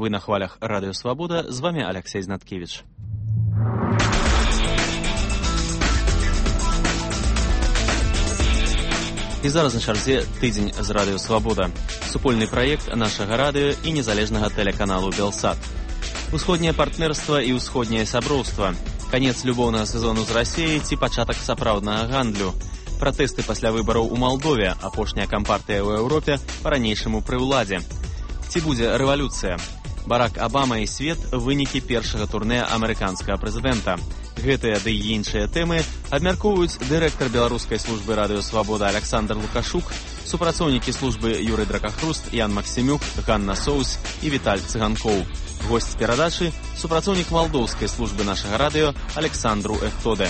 Вы на хвалях Радио Свобода. З вами Алексей Знаткевич. І зараз на чарзе тыдзень з Радыё Свабода. Супольны праект нашага радыё і незалежнага тэлеканалу Белсат. Усходняе партнерства і ўсходняе сяброўства. Канец любоўнага сезону з Расіяй ці пачатак сапраўднага гандлю. Пратэсты пасля выбараў у Малдове, апошняя кампартыя ў Еўропе па-ранейшаму пры ўладзе. Ці будзе рэвалюцыя? Барак Абама і свет – вынікі першага турне амерыканскага прэзідэнта. Гэтыя ды і іншыя тэмы абмяркоўваюць дырэктар беларускай службы Радыё Свабода Александр Лукашук, супрацоўнікі службы Юрый Дракахруст, Ян Максімюк, Ганна Соус і Віталь Цыганкоў. Госць перадачы – супрацоўнік малдоўскай службы нашага радыё Александру Эхтоде.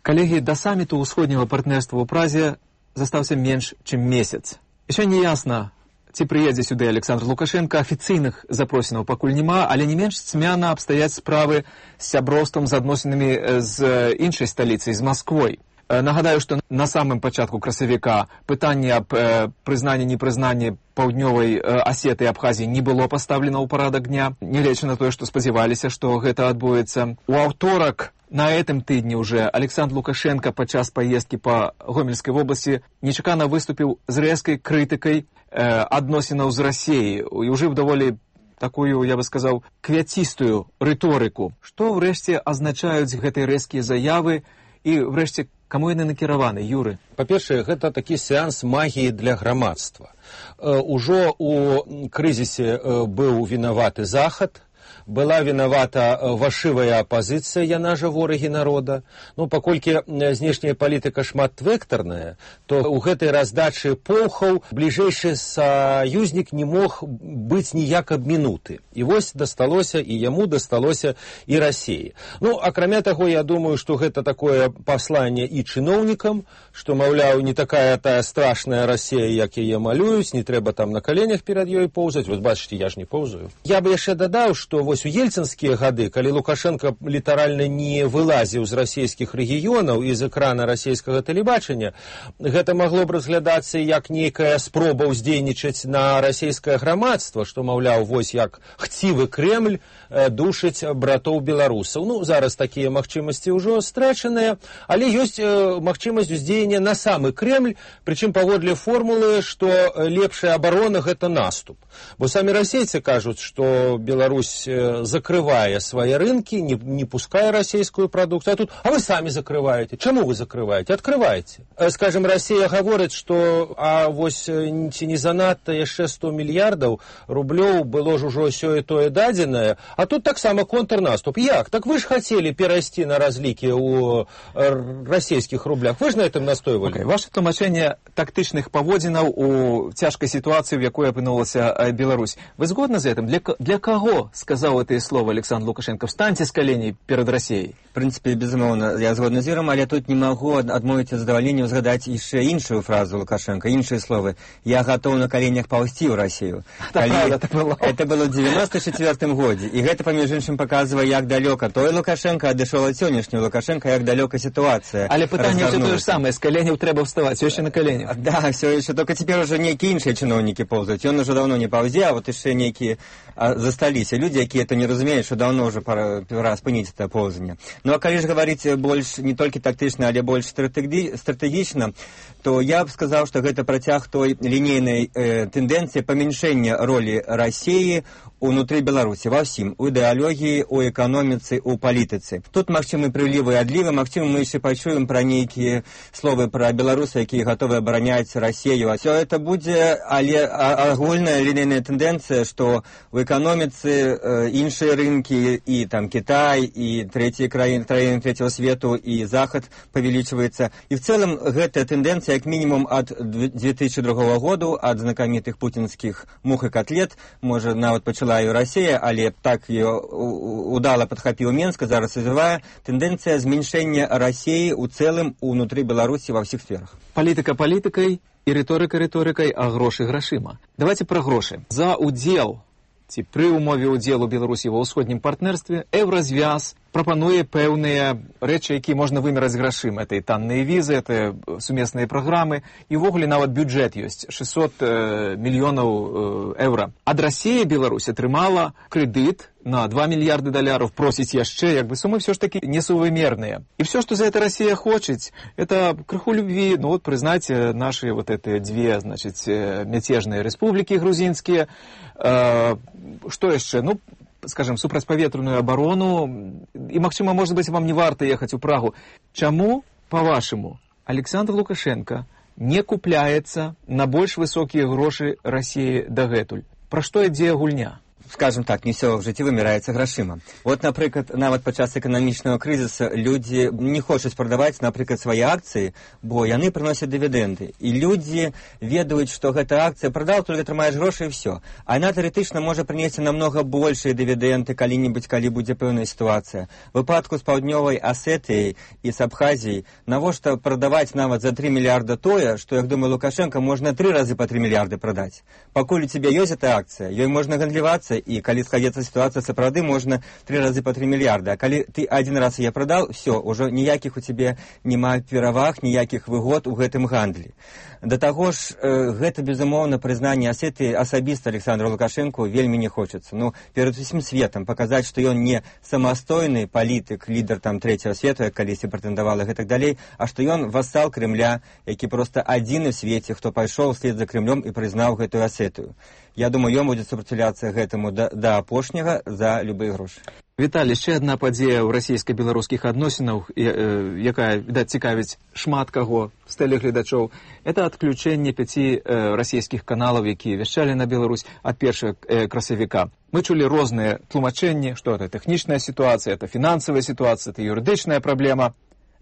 Калегі, да саміту ўсходняга партнерства ў Празе застаўся менш, чым месяц. Яшчэ не ясна, ці прыедзе сюды Александр Лукашенко, афіцыйных запросінаў пакуль няма, але не менш цьмяна абстаяць справы з сяброўствам, з адносінамі з іншай сталіцай, з Масквой. Нагадаю, што на самым пачатку красавіка пытанне аб прызнанні-непрызнанні паўднёвай Асеты і Абхазіі не было пастаўлена ў парадак дня, нягледзячы на тое, што спадзяваліся, што гэта адбудзецца. У аўторак на гэтым тыдні ўжо Александр Лукашенко падчас паездкі па Гомельскай вобласці нечакана выступіў з рэзкай крытыкай адносінаў з Расіяй і ўжыў даволі такую, я бы сказаў, квяцістую рыторыку. Што ўрэшце азначаюць гэтыя рэзкія заявы і, врэшце, каму яны накіраваны, Юры? Па-першае, гэта такі сеанс магіі для грамадства. Ужо у крызісе быў вінаваты Захад, была вінавата вашывая апазіцыя, яна жа ворагі народа. Ну, паколькі знешняя палітыка шматвектарная, то ў гэтай раздачы полхаў бліжэйшы саюзнік не мог быць ніяк абмінуты. І вось дасталося, і яму дасталося і Расіі. Ну, акрамя таго, я думаю, што гэта такое пасланне і чыноўнікам, што, маўляў, не такая тая страшная Расія, як яе малююць, не трэба там на каленях перад ёй поўзаць. Вот бачыце, я ж не поўзаю. Я бы яшчэ дадаў, што вось у ельцынскія гады, калі Лукашенко літаральна не вылазіў з расійскіх рэгіёнаў і з экрана расійскага тэлебачання, гэта магло б разглядацца як нейкая спроба ўздзейнічаць на расійскае грамадства, што, маўляў, вось як хцівы Кремль душыць братоў беларусаў. Ну, зараз такія магчымасці ўжо страчаныя, але ёсць магчымасць уздзеяння на самы Кремль, прычым паводле формулы, што лепшая абарона – гэта наступ. Бо самі расейцы кажуць, што Беларусь закрывае свае рынкі, не пускае расійскую прадукцыю. А вы самі закрываеце. Чаму вы закрываеце? Адкрываеце. Скажем, Расія гаворыць, што вось ці не занадта яшчэ 100 мільярдаў рублёў было ж ужо сёе тое дадзенае, а тут таксама контрнаступ. Як? Так вы ж хацелі перайсці на разлікі ў расійскіх рублях. Вы ж на этом настойвалі. Ваше тлумачэнне тактычных паводзінаў у цяжкай сітуацыі, в якой апынулася Беларусь. Вы згодны з гэтым? Для каго сказаў гэтыя словы Александр Лукашенко? Встаньце з каленей перад Расіяй. В прынцыпе, безумоўна, я згодны з Юрам, але тут не магу адмовіць ад задавальнення згадаць яшчэ іншую фразу Лукашенко, іншыя словы. Я гатоў на каленях паўзці ў Расію. Это было ў 94-м годзе. І гэта, паміж іншым, паказвае, як далёка той Лукашенко адышоў ад сённяшняга Лукашенко, як далёка сітуацыя. Але пытанне ўсё тое ж самае, з каленяў трэба ўставаць, ўсё яшчэ на каленях. Да, ўсё яшчэ, толькі цяпер ужо нейкія іншыя чыноўнікі поўзаюць. Ён ужо даўно не паўзе, а вот яшчэ нейкія засталіся людзі, якія это не разумеюць, што даўно ўжо пора спыніць это поўзанне. Ну, а калі ж гаварыць больш не толькі тактычна, але больш стратэгічна, то я б сказаў, што гэта працяг той лінейнай тэндэнцыі памяншэння ролі Расіі унутры Беларусі, ва ўсім, у ідэалогіі, у эканоміцы, у палітыцы. Тут магчымы прылівы і адлівы, магчыма, мы яшчэ пачуем пра нейкія словы пра беларусаў, якія гатовы абараняць Расію. А ўсё это будзе, але агульная лінейная тэндэнцыя, што у эканоміцы іншыя рынкі, і там Кітай, і трэція краіны трэцяго свету, і Захад павялічваецца. І в цэлым гэтая тэндэнцыя, як мінімум, ад 2002 году, ад знакамітых пуцінскіх мух і котлет, можа, нават пачала і Расія, але так ее удала падхапіў Менск, зараз развівае тэндэнцыя зменшэння Расіі ў цэлым унутры Беларусі ва ўсіх сферах. Палітыка палітыкай і рыторыка рыторыкай, а грошы грашыма. Давайте пра грошы. За удзел ці пры ўмове ўдзелу Беларусі ва ўсходнім партнерстве Еўразвяз прапануе пэўныя рэчы, якія можна вымераць грашыма. Это і танныя візы, это сумесныя праграмы, і ўвогуле нават бюджэт ёсць 600 мільёнаў еўра. Ад Расіі Беларусь атрымала крэдыт на 2 мільярды даляраў, просіць яшчэ, як бы сумы все ж таки несувымерныя. І все, что за это Россия хочет, это крыху любви, ну вот признать наши вот эти две, значит, мятежные республики грузинские, что еще, ну, скажем, супрацьпаветраную оборону, и, магчыма, может быть, вам не варто ехать у Прагу. Чаму, по-вашему, Александр Лукашенко не купляется на больш высокие грошы России дагэтуль? Пра што ідзе гульня? Скажем так, не все в житті вымираецца грашыма. Вот, напрыклад, нават падчас эканамічнага крызіса людзі не хочуць прадаваць, напрыклад, свае акцыі, бо яны прыносяць дывідэнды. І людзі ведаюць, што гэта акцыя прадаў, толькі атрымаеш грошы і все. А яна тэарэтычна можа прынесці намнога большыя дывідэнды калі-небудзь, калі будзе пэўная сітуацыя. В выпадку з паўднёвай Асетыяй і з Абхазіяй навошта прадаваць нават за 3 мільярда тое, што, як думаю, Лукашенко, можна 3 разы па 3 мільярды прадаць. Пакуль у цябе ёсць эта акцыя, ёй можна гандлівацца, і калі складзецца сітуацыя сапраўды, можна 3 разы па 3 мільярды. А калі ты один раз яе прадаў, все, ўжо ніякіх у цябе няма пераваг, ніякіх выгод у гэтым гандлі. Да таго ж, гэта, безумоўна, прызнанне Асетыі асабіста Александру Лукашенку вельмі не хочацца. Ну, перад усім светам паказаць, што ён не самастойны палітык, лідар там трэцяга свету, як калісьці прэтэндавала і гэтак далей, а што ён вассал Крымля, які проста адзіны ў свеце, хто пайшоў услед за Крымлем і прызнаў гэтую Асетыю. Я думаю, ён будзе супраціўляцца гэтаму да апошняга за любыя грошы. Віталій, ще одна падзея ў расійска-беларускіх адносінах, якая, відаць, цікавіць шмат каго з тэлегледачоў, это адключэнне 5 расійскіх каналаў, якія вяшчалі на Беларусь ад 1 красавіка. Мы чулі розныя тлумачэнні, што это тэхнічная сітуацыя, это фінансавая сітуацыя, это юрыдычная праблема.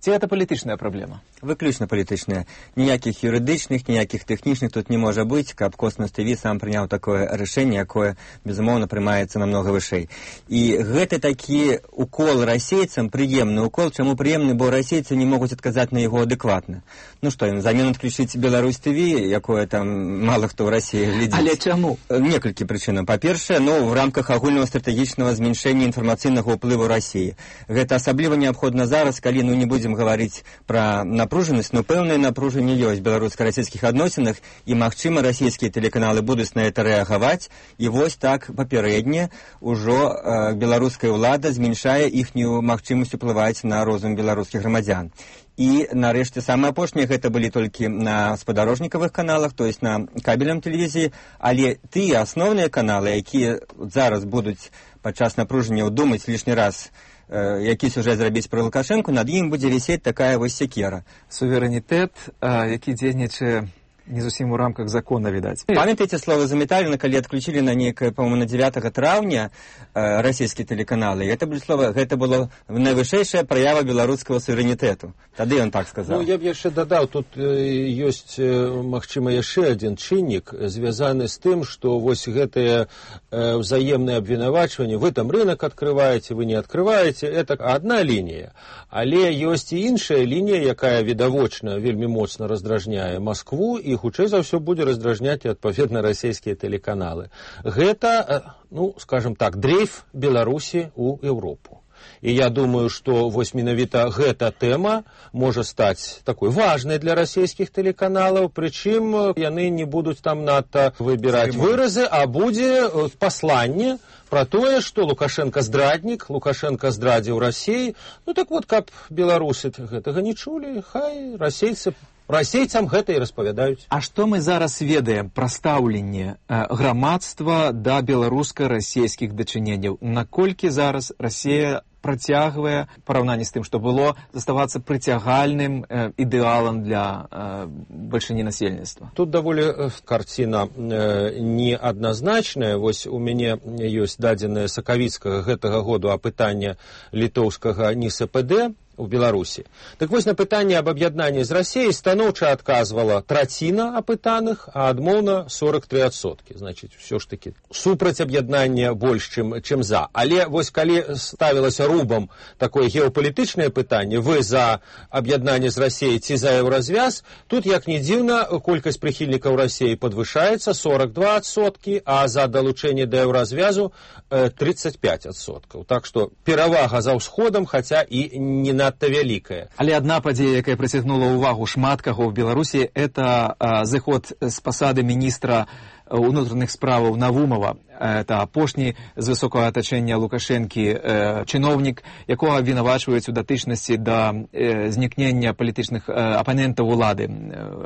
Ці гэта палітычная праблема? Выключна палітычная. Ніякіх юрыдычных, ніякіх тэхнічных тут не можа быць, каб Космас ТВ сам прыняў такое рашэнне, якое, безумоўна, прымаецца намнога вышэй. І гэта такі укол расейцам, прыемны укол. Чаму прыемны? Бо расейцы не могуць адказаць на яго адэкватна. Ну што, ім замен адключыць Беларусь ТВ, якое там мала хто ў Расіі глядзіць. Але чаму? Некалькі прычынаў. Па-першае, ну, в рамках агульнага стратэгічнага зменшэння інфармацыйнага ўплыву Расіі. Гэта асабліва неабходна зараз, калі, ну, не будзем гаварыць пра напружанасць, но пэўнае напружанне ёсць в беларуска-расійскіх адносінах, і, магчыма, расійскія тэлеканалы будуць на это рэагаваць, і вось так папярэдне ўжо беларуская ўлада зменшае іхнюю магчымасць уплываць на розум беларускіх грамадзян. І, нарэшце, самае апошняе, гэта былі толькі на спадарожнікавых каналах, то есть на кабельным тэлевізіі, але тыя асноўныя каналы, якія зараз будуць падчас напружання думаць лішні раз, які сюжэт зрабіць пра Лукашэнку, над ім будзе вісець такая вось секера. Суверэнітэт, які дзейнічае не зусім у рамках закона, відаць. Памятаеце слова Заметаліна, калі адключілі на некае, по-моему, на 9 траўня расійскія тэлеканалы? Гэта было найвышэйшая праява беларускага суверэнітэту. Тады ён так сказаў. Ну, я б яшчэ дадаў, тут ёсць, магчыма, яшчэ адзін чыннік, звязаны з тым, што вось гэтае взаемнае абвінавачванне, вы там рынок открываете, вы не открываете, это одна лінія. Але ёсць і іншая лінія, якая відавочна вельмі моцна раздражняе Маскву, і хутчэй за ўсё будзе раздражняць адпаведна расійскія тэлеканалы. Гэта, ну, скажем так, дрейф Беларусі ў Еўропу. І я думаю, што вось менавіта гэта тэма можа стаць такой важнай для расійскіх тэлеканалаў, прычым яны не будуць там надта выбіраць выразы, а будзе пасланне пра тое, што Лукашенко здраднік, Лукашенко здрадзіў Расіі. Ну так вот, каб беларусы гэтага не чулі, хай расейцам гэта і распавядаюць. А што мы зараз ведаем пра стаўленне грамадства да беларуска-расійскіх дачыненняў? Наколькі зараз Расія працягвае, параўнанні з тым, што было, заставацца прыцягальным ідэалам для бальшыні насельніцтва? Тут даволі карціна неадназначная. Вось у мяне ёсць дадзеныя сакавіцкага гэтага году апытання літоўскага НИСПД, у Беларусі. Так вось на пытанне аб аб'яднанні з Расіяй станоўча адказвала траціна апытаных, а адмоўна 43%. Значыць, ўсё ж такі супраць аб'яднання больш, чым за. Але вось калі ставілася рубам такое геапалітычнае пытанне, вы за аб'яднанне з Расіяй ці за еўразвяз, тут, як ні дзіўна, колькасць прыхільнікаў Расіі падвышаецца 42%, а за далучэнне да еўразвязу 35%. Так што перавага за ўсходам, хаця і не надта вялікая. Але адна падзея, якая прыцягнула ўвагу шмат каго ў Беларусі, это зыход з пасады міністра ўнутраных справаў Навумова. Это апошні з высокага атачэння Лукашэнкі чыноўнік, якога абвінавачваюць у датычнасці да знікнення палітычных апанентаў улады,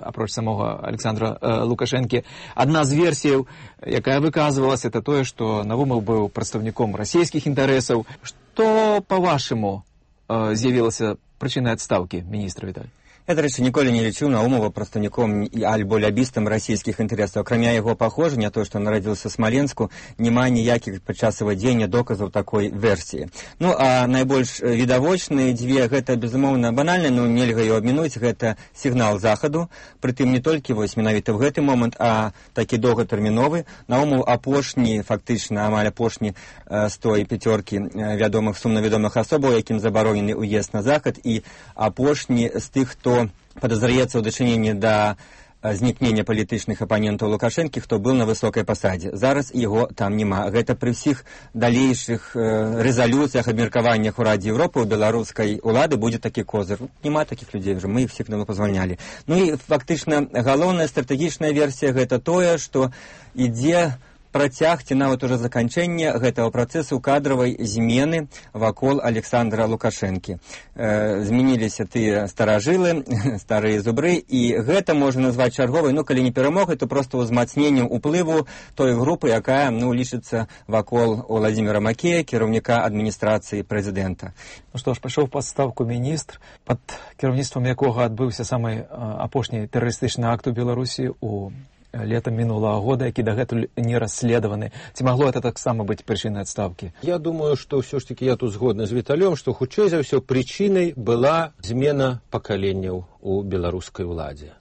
апроч самога Александра Лукашэнкі. Адна з версіяў, якая выказвалася, это тое, што Навумов быў прадстаўніком расійскіх інтарэсаў. Што, па-вашаму, з'явілася прычынай адстаўкі міністра, Віталь? Я, до речі, ніколи не лічыў Наумова прадстаўніком альбо лябістам расійскіх інтарэсаў. Акрамя яго паходжання, то, што нарадзіўся ў Смаленску, няма ніякіх падчас вывядзення доказаў такой версіі. Ну, а найбольш відавочныя дзве, гэта, безумоўна, банальна, но нельга ёй абмінуць, гэта сігнал захаду, прытым не толькі вось менавіта ў гэты момант, а такі доўгатэрміновы. Наумов апошні, фактычна, амаль апошні з той пяцёркі вядомых, сумна вядомых асобаў, якім забаронены ўезд на захад, і апошні з тых, хто подозряется в дачыненні да знікнення палітычных апанентаў Лукашэнкі, хто быў на высокай пасадзе. Зараз яго там няма. Гэта пры ўсіх далейшых рэзалюцыях, абмеркаваннях у Радзе Еўропы у беларускай улады будзе такі козыр. Няма такіх людзей уже, мы іх всіх давно пазвальнялі. Ну і фактычна галоўная стратэгічная версія гэта тое, што ідзе працяг ці нават уже заканчэнне гэтага працэсу кадравай змены вакол Александра Лукашэнкі. Змяніліся тыя старажылы, старыя зубры, і гэта можна назваць чарговай, ну, калі не перамогай, то проста ўзмацненнем уплыву той групы, якая, ну, лічыцца вакол Владзіміра Макея, кіраўніка адміністрацыі прэзідэнта. Ну што ж, пайшоў пад адстаўку міністр, пад кіраўніцтвам якога адбыўся самы апошні тэрарыстычны акт у Беларусі у летом минулого года, які дагэтуль не расследованы. Ці магло это таксама быць прычынай адстаўкі? Я думаю, што ўсё ж таки я тут згодны з Віталём, што хутчэй за ўсё прычынай была змена пакаленняў у беларускай уладзе.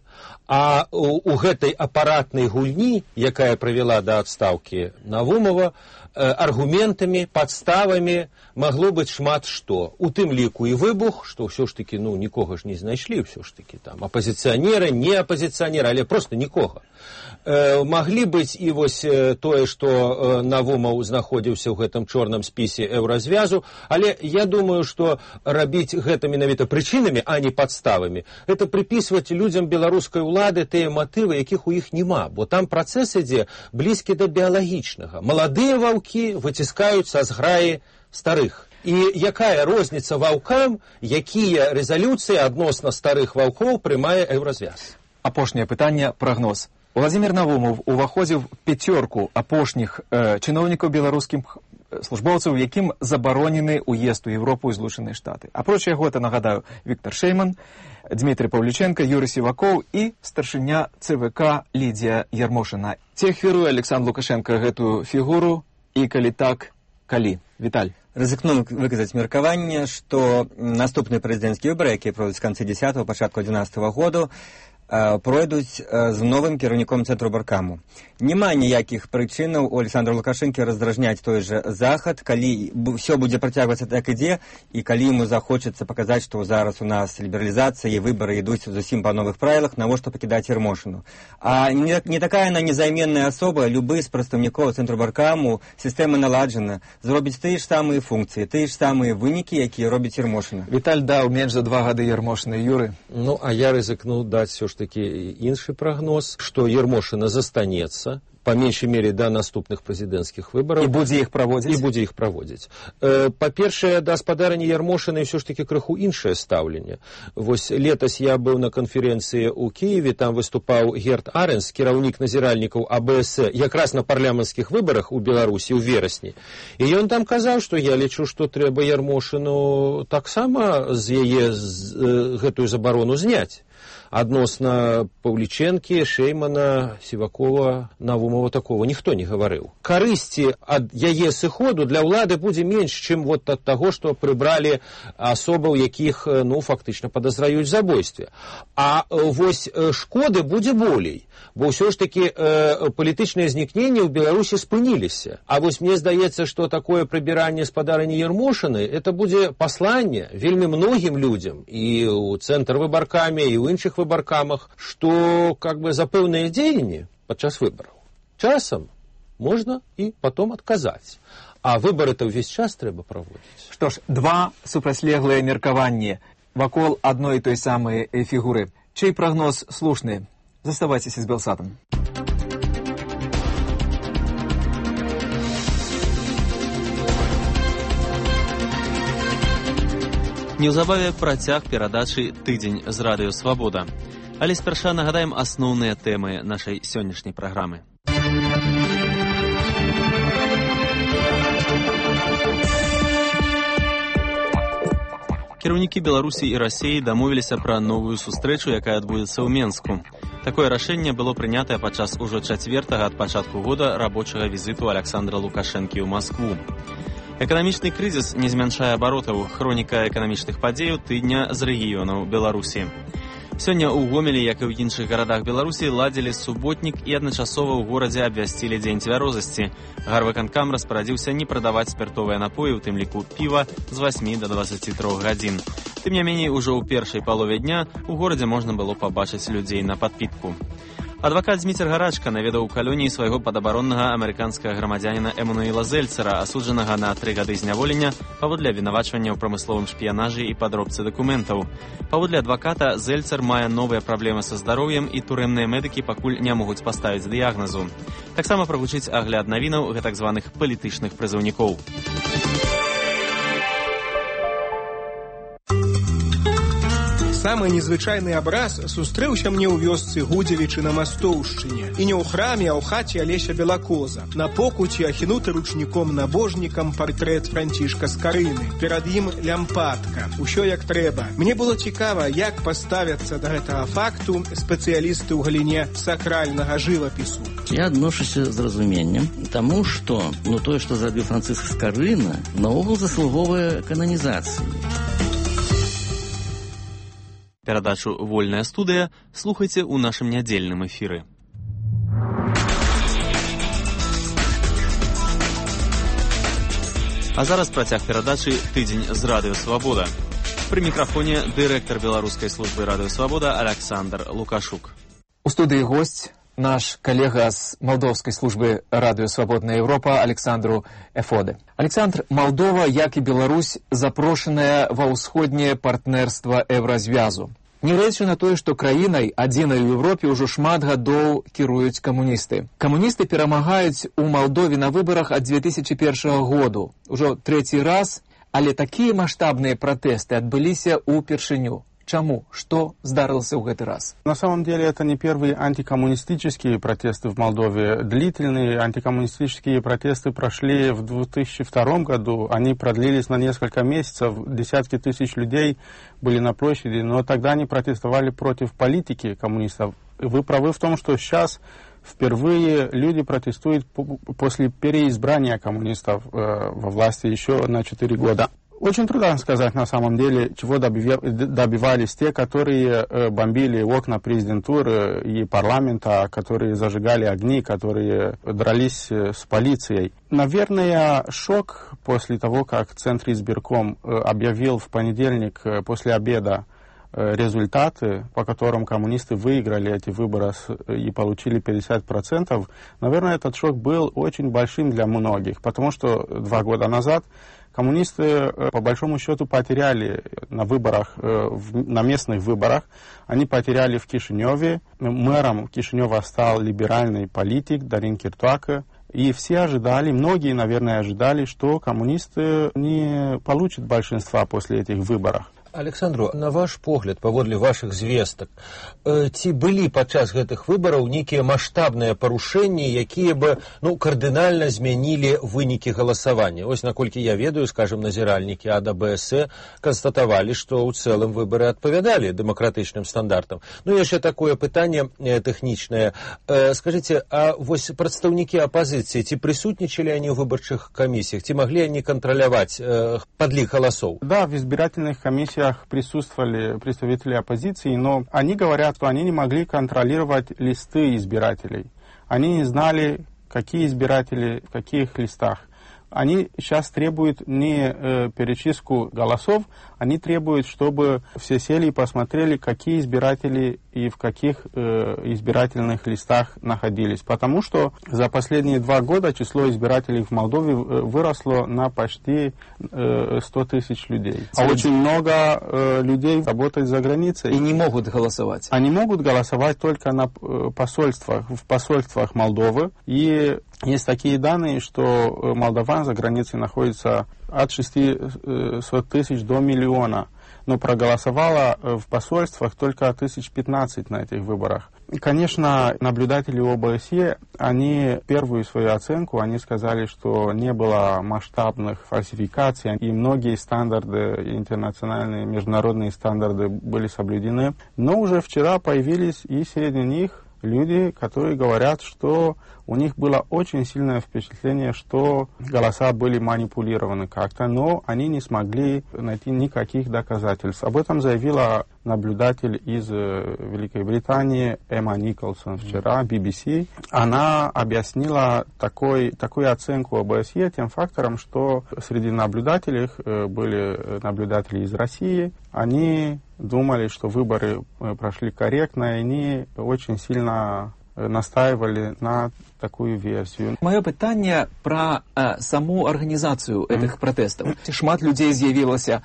А у гэтай апаратнай гульні, якая прывяла да адстаўкі Навумова, аргументамі, падставамі магло быць шмат што. У тым ліку і выбух, што ўсё ж таки, ну, нікога ж не знайшлі, ўсё ж таки там апазіцыянеры, не апазіцыянеры, але проста нікога. Маглі быць і вось тое, што Навумаў знаходзіўся ў гэтым чорным спісе еўразвязу, але я думаю, што рабіць гэта менавіта прычынамі, а не падставамі, гэта прыпісваць людзям беларускай улады тыя матывы, якіх у іх няма, бо там працэс ідзе блізкі да біялагічнага. Маладыя ваўкі выціскаюць са зграі старых. І якая розніца ваўкам, якія рэзалюцыі адносна старых ваўкоў прымае еўразвяз? Апошняе пытанне, прагноз. Владзімір Навумов уваходзіў в пяцёрку апошніх чыноўнікаў беларускіх службоўцаў, якім забаронены ўезд у Еўропу і Злучаныя Штаты. Апроч яго, это, нагадаю, Віктор Шэйман, Дмітрий Павліченко, Юрий Сівакоў і старшыня ЦВК Лідія Ярмошына. Ці ахвяруе Александр Лукашенко гэтую фігуру, і калі так, калі? Віталь. Рызыкну выказаць меркаванне, што наступныя прэзідэнцкія выбары, якія пройдуць з канцы 10-го, пачатку 11-го году, пройдуць з новым кіраўніком цэнтру Баркаму. Няма ніякіх прычынаў у Александра Лукашэнкі раздражняць той же захад, калі ўсё будзе працягвацца так ідзе, і калі ему захочацца паказаць, што зараз у нас лібералізацыя і выбары ідуць зусім па новых правілах, навошта пакідаць Ярмошыну. А не такая она незайменная асоба, любы з прадстаўнікоў цэнтру Баркаму, сістэма наладжана, зробіць тыя ж самыя функцыі, тыя ж самыя вынікі, якія робіць Ярмошына. Віталь даў менш за 2 гады Ярмошыны. Юры? Ну, а я рызыкнуў даць все ж таки іншы прагноз, што Ярмошына застанецца по меньшей мере до наступных прэзідэнцкіх выбараў. І будзе іх праводзіць? І будзе іх праводзіць. Па-першае, да гаспадарані Ярмошыны ўсё ж таки крыху іншае стаўленне. Вось летась я быў на канферэнцыі ў Кіеве, там выступаў Герт Аренс, кіраўнік назіральнікаў АБС, якраз на парламенцкіх выбарах у Беларусі ў верасні. І ён там казаў, што я лічу, што трэба Ярмошыну таксама з яе гэтую забарону зняць. Адносна Паўлічэнкі, Шеймана, Сівакова, Навумова такого ніхто не гаварыў. Карысці ад яе сыходу для ўлады будзе менш, чым вот ад таго, што прыбралі асобаў, якіх, фактычна падазраюць забойстве. А вось шкоды будзе болей, бо ўсё ж такі палітычныя знікненні ў Беларусі спыніліся. А вось мне здаецца, што такое прыбіранне спадарыні Ярмошыны, это будзе пасланне вельмі многім людзям і ў цэнтр выбаркамі, і ў іншых выбаркамах, што за пэўныя дзеянні падчас выбараў часам можна і потом адказаць. А выбары-то ўвесь час трэба праводзіць. Што ж, два супрацьлеглыя меркаванні вакол адной і той самай фігуры. Чый прагноз слушны? Заставайцеся з Белсатам. Неўзабаве працяг перадачы «Тыдзень з радыё Свабода». Але спярша нагадаем асноўныя тэмы нашай сённяшняй праграмы. Кіраўнікі Беларусі і Расіі дамовіліся пра новую сустрэчу, якая адбудзецца ў Менску. Такое рашэнне было прынятае падчас ужо 4-га ад пачатку года рабочага візіту Александра Лукашэнкі ў Маскву. Эканамічны крызіс не змяншае абаротаў. Хроніка эканамічных падзеяў тыдня з рэгіёнаў Беларусі. Сёння ў Гомелі, як і ў іншых гарадах Беларусі, ладзілі суботнік і адначасова ў горадзе абвясцілі дзень цвярозасці. Гарвыканкам распарадзіўся не прадаваць спіртовыя напоі, у тым ліку піва, з 8 до 23 гадзін. Тым не меней, ужо ў першай палове дня у горадзе можна было пабачыць людзей на падпітку. Адвакат Зміцер Гарачка наведаў у калоніі свайго падабароннага амерыканскага грамадзяніна Эмануэла Зельцера, асуджанага на 3 гады зняволення паводле абвінавачвання ў прамысловым шпіянажы і падробцы дакументаў. Паводле адваката, Зельцер мае новыя праблемы са здароўем і турэмныя медыкі пакуль не могуць паставіць дыягназу. Таксама прагучыць агляд навінаў гэтак званых палітычных прызыўнікоў. Самы незвычайны абраз сустрэўся мне ў вёсцы Гудзевічы на Мастоўшчыне. І не ў храме, а ў хаце Алеся Белакоза. На покуці ахінуты ручніком-набожнікам партрэт Францішка Скарыны. Перад ім лямпадка. Усё як трэба. Мне было цікава, як паставяцца да гэтага факту спецыялісты ў галіне сакральнага жывапісу. Я адношуся з разуменнем, таму што тое, што зрабіў Францыск Скарына, наогул заслуговае кананізацыі. Перадачу «Вольная студыя» слухайце ў нашым нядзельным эфіры. А зараз працяг перадачы «Тыдзень з радыё Свабода». Пры мікрафоне дырэктар беларускай службы радыё Свабода Александр Лукашук. У студыі госць наш калега з малдоўскай службы радыё Свабодная Еўропа Александру Эфоде. Александр, Малдова, як і Беларусь, запрошаная ва ўсходняе партнерства Еўразвязу. Нягледзячы на тое, што краінай, адзінай у Еўропе, ўжо шмат гадоў кіруюць камуністы. Камуністы перамагаюць у Малдове на выбарах ад 2001 году. Ужо 3-й раз, але такія маштабныя пратэсты адбыліся ўпершыню. Чему? Что здарылся в этот раз? На самом деле это не первые антикоммунистические протесты в Молдове. Длительные антикоммунистические протесты прошли в 2002 году. Они продлились на несколько месяцев. Десятки тысяч людей были на площади, но тогда они протестовали против политики коммунистов. Вы правы в том, что сейчас впервые люди протестуют после переизбрания коммунистов во власти еще на 4 года. Очень трудно сказать на самом деле, чего добивались те, которые бомбили окна президентуры и парламента, которые зажигали огни, которые дрались с полицией. Наверное, шок после того, как Центр избирком объявил в понедельник после обеда результаты, по которым коммунисты выиграли эти выборы и получили 50%, наверное, этот шок был очень большим для многих, потому что 2 года назад коммунисты, по большому счету, потеряли на выборах, на местных выборах. Они потеряли в Кишиневе. Мэром Кишинева стал либеральный политик Дарин Киртуака. И все ожидали, многие, наверное, ожидали, что коммунисты не получат большинства после этих выборов. Александру, на ваш погляд, паводле вашых звестак, ці былі падчас гэтых выбараў нейкія маштабныя парушэнні, якія бы кардынальна змянілі вынікі галасавання? Ось, наколькі я ведаю, скажем, назіральнікі АДБС канстатавалі, што ў цэлым выбары адпавядалі дэмакратычным стандартам. Яшчэ такое пытанне тэхнічнае. Скажыце, а вось прадстаўнікі апазіцыі, ці прысутнічалі они в выборчих комиссиях? Ці могли они контролировать подлик голосов? Да, в избирательных комиссиях присутствовали представители оппозиции, но они говорят, что они не могли контролировать листы избирателей. Они не знали, какие избиратели в каких листах. Они сейчас требуют не перечистку голосов, они требуют, чтобы все сели и посмотрели, какие избиратели и в каких избирательных листах находились. Потому что за последние 2 года число избирателей в Молдове выросло на почти 100 тысяч людей. А очень много людей работает за границей. И не могут голосовать. Они могут голосовать только в посольствах Молдовы. И есть такие данные, что молдаван за границей находится от 600 тысяч до миллиона, но проголосовало в посольствах только 15 на этих выборах. И, конечно, наблюдатели ОБСЕ, они первую свою оценку, они сказали, что не было масштабных фальсификаций, и многие стандарты, интернациональные, международные стандарты были соблюдены. Но уже вчера появились и среди них люди, которые говорят, что у них было очень сильное впечатление, что голоса были манипулированы как-то, но они не смогли найти никаких доказательств. Об этом заявила наблюдатель из Великой Британии Эмма Николсон вчера, BBC. Она объяснила такую оценку ОБСЕ тем фактором, что среди наблюдателей были наблюдатели из России. Они думали, что выборы прошли корректно, и они очень сильно настаивали на такую версию. Мое пытание про саму организацию этих протестов. Шмат людей з'явілася,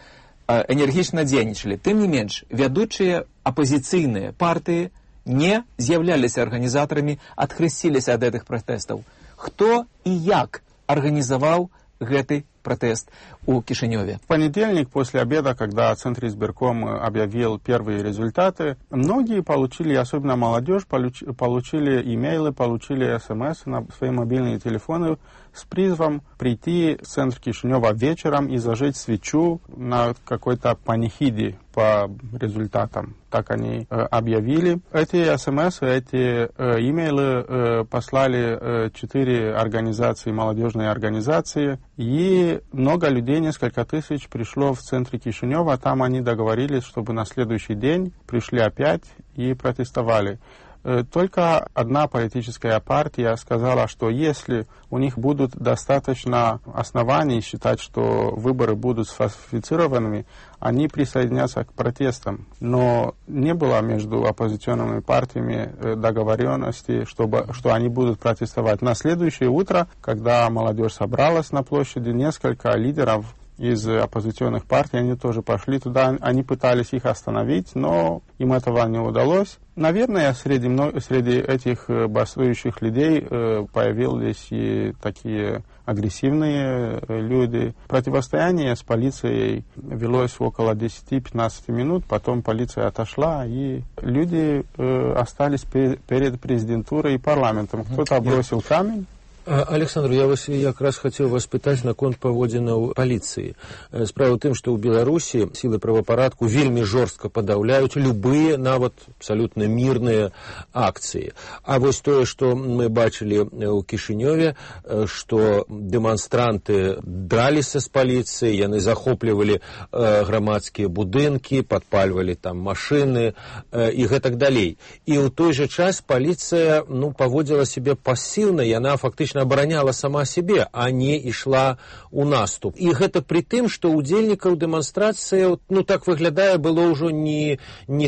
энергично дзейнічалі. Тым не менш, вядучыя апозіцыйныя партыі не з'яўляліся арганізатарамі, адхрысціліся ад гэтых пратэстаў. Хто і як арганізаваў гэты протест у Кишиневе? В понедельник после обеда, когда Центр избирком объявил первые результаты, многие получили, особенно молодежь, получили имейлы, получили смс на свои мобильные телефоны с призывом прийти в центр Кишинева вечером и зажечь свечу на какой-то панихиде по результатам. Так они объявили. Эти смс, эти имейлы послали 4 организации, молодежные организации, и много людей, несколько тысяч, пришло в центре Кишинева. Там они договорились, чтобы на следующий день пришли опять и протестовали. Только одна политическая партия сказала, что если у них будут достаточно оснований считать, что выборы будут сфальсифицированными, они присоединятся к протестам. Но не было между оппозиционными партиями договоренности, что они будут протестовать. На следующее утро, когда молодежь собралась на площади, несколько лидеров из оппозиционных партий, они тоже пошли туда, они пытались их остановить, но им этого не удалось. Наверное, среди этих бастующих людей появились и такие агрессивные люди. Противостояние с полицией велось около 10-15 минут, потом полиция отошла, и люди остались перед президентурой и парламентом. Кто-то бросил камень. Александр, я вас якраз хотел вас пытаць наконт паводзінаў паліцыі. Справа ў тым, што ў Беларусі сілы правапарадку вельмі жорстка падаўляюць любыя, нават абсалютна мірныя акцыі. А вось тое, што мы бачылі ў Кішынёве, што дэманстранты драліся з паліцыяй, яны захоплівалі грамадскія будынкі, падпальвалі там машыны і гэтак далей. І ў той жа час паліцыя паводзіла сябе пасіўна, яна фактычна абараняла сама себе, а не ішла у наступ. І гэта пры тым, што удзельнікаў дэманстрацыі, так выглядае, было ўжо не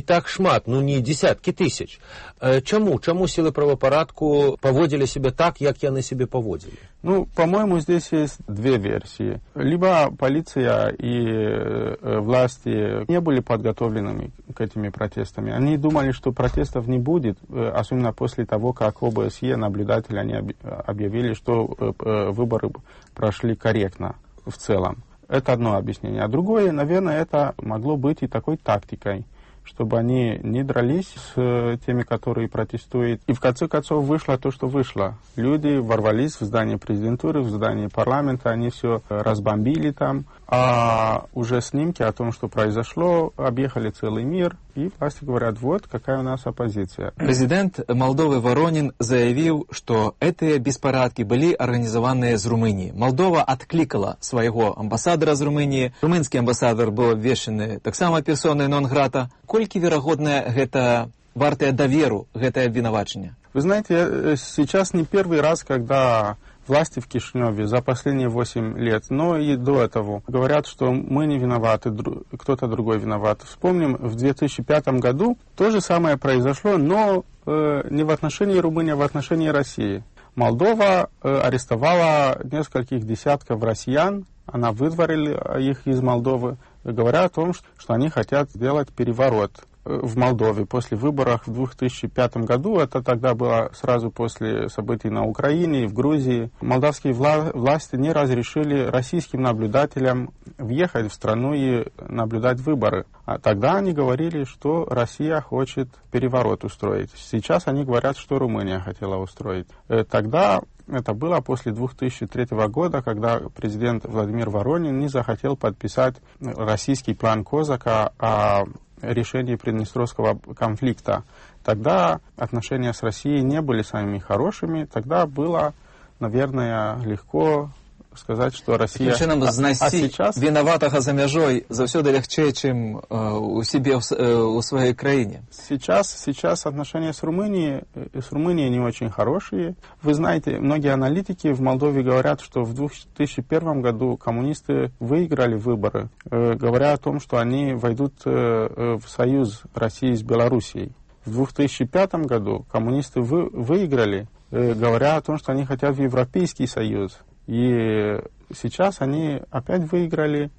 так шмат, не десяткі тысяч. Чаму сілы правапарадку паводзілі себе так, як яны себе паводзілі? По-моему, здесь есть 2 версии. Либо полиция и власти не были подготовленными к этим протестам. Они думали, что протестов не будет, особенно после того, как ОБСЕ, наблюдатели, они объявили, что выборы прошли корректно в целом. Это одно объяснение. А другое, наверное, это могло быть и такой тактикой, чтобы они не дрались с теми, которые протестуют. И в конце концов вышло то, что вышло. Люди ворвались в здание президентуры, в здание парламента, они все разбомбили там. А уже снимки о том, что произошло, объехали целый мир. И власти говорят, вот какая у нас оппозиция. Президент Молдовы Воронин заявил, что эти беспорядки были организованы из Румынии. Молдова откликала своего амбассадора из Румынии. Румынский амбассадор был обвешаны так само персоной нон-грата. Кольки вероятно это вартое доверу, это обвинувачение? Вы знаете, сейчас не первый раз, когда власти в Кишиневе за последние 8 лет, но и до этого говорят, что мы не виноваты, кто-то другой виноват. Вспомним, в 2005 году то же самое произошло, но не в отношении Румынии, а в отношении России. Молдова арестовала нескольких десятков россиян, она выдворила их из Молдовы, говоря о том, что они хотят сделать переворот в Молдове после выборов в 2005 году. Это тогда было сразу после событий на Украине и в Грузии. Молдавские власти не разрешили российским наблюдателям въехать в страну и наблюдать выборы. А тогда они говорили, что Россия хочет переворот устроить. Сейчас они говорят, что Румыния хотела устроить. Тогда это было после 2003 года, когда президент Владимир Воронин не захотел подписать российский план Козака о решении Приднестровского конфликта. Тогда отношения с Россией не были самыми хорошими. Тогда было, наверное, легко сказать, что Россия... сейчас виноватого за межой завсёды легче, чем у себе у своей краине. Сейчас отношения с Румынией не очень хорошие. Вы знаете, многие аналитики в Молдове говорят, что в 2001 году коммунисты выиграли выборы, говоря о том, что они войдут в союз России с Белоруссией. В 2005 году коммунисты выиграли, говоря о том, что они хотят в Европейский союз. И сейчас они опять выиграли,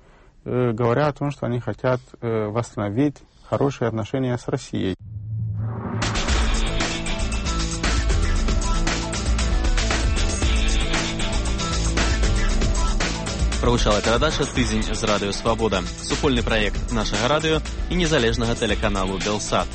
говоря о том, что они хотят восстановить хорошие отношения с Россией. Прагучала перадача «Тыдзень з радыё Свабода», супольны праект нашага радыё і незалежнага тэлеканалу «Белсат».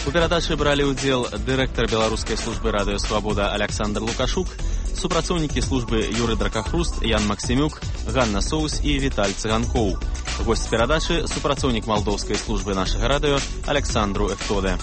У перадачы бралі ўдзел дырэктар беларускай службы радыё Свабода Александр Лукашук, супрацоўнікі службы Юры Дракахруст, Ян Максимюк, Ганна Соус і Віталь Цыганкоў. Госць перадачы — супрацоўнік малдоўскай службы нашага радыё Александру Эфтоде.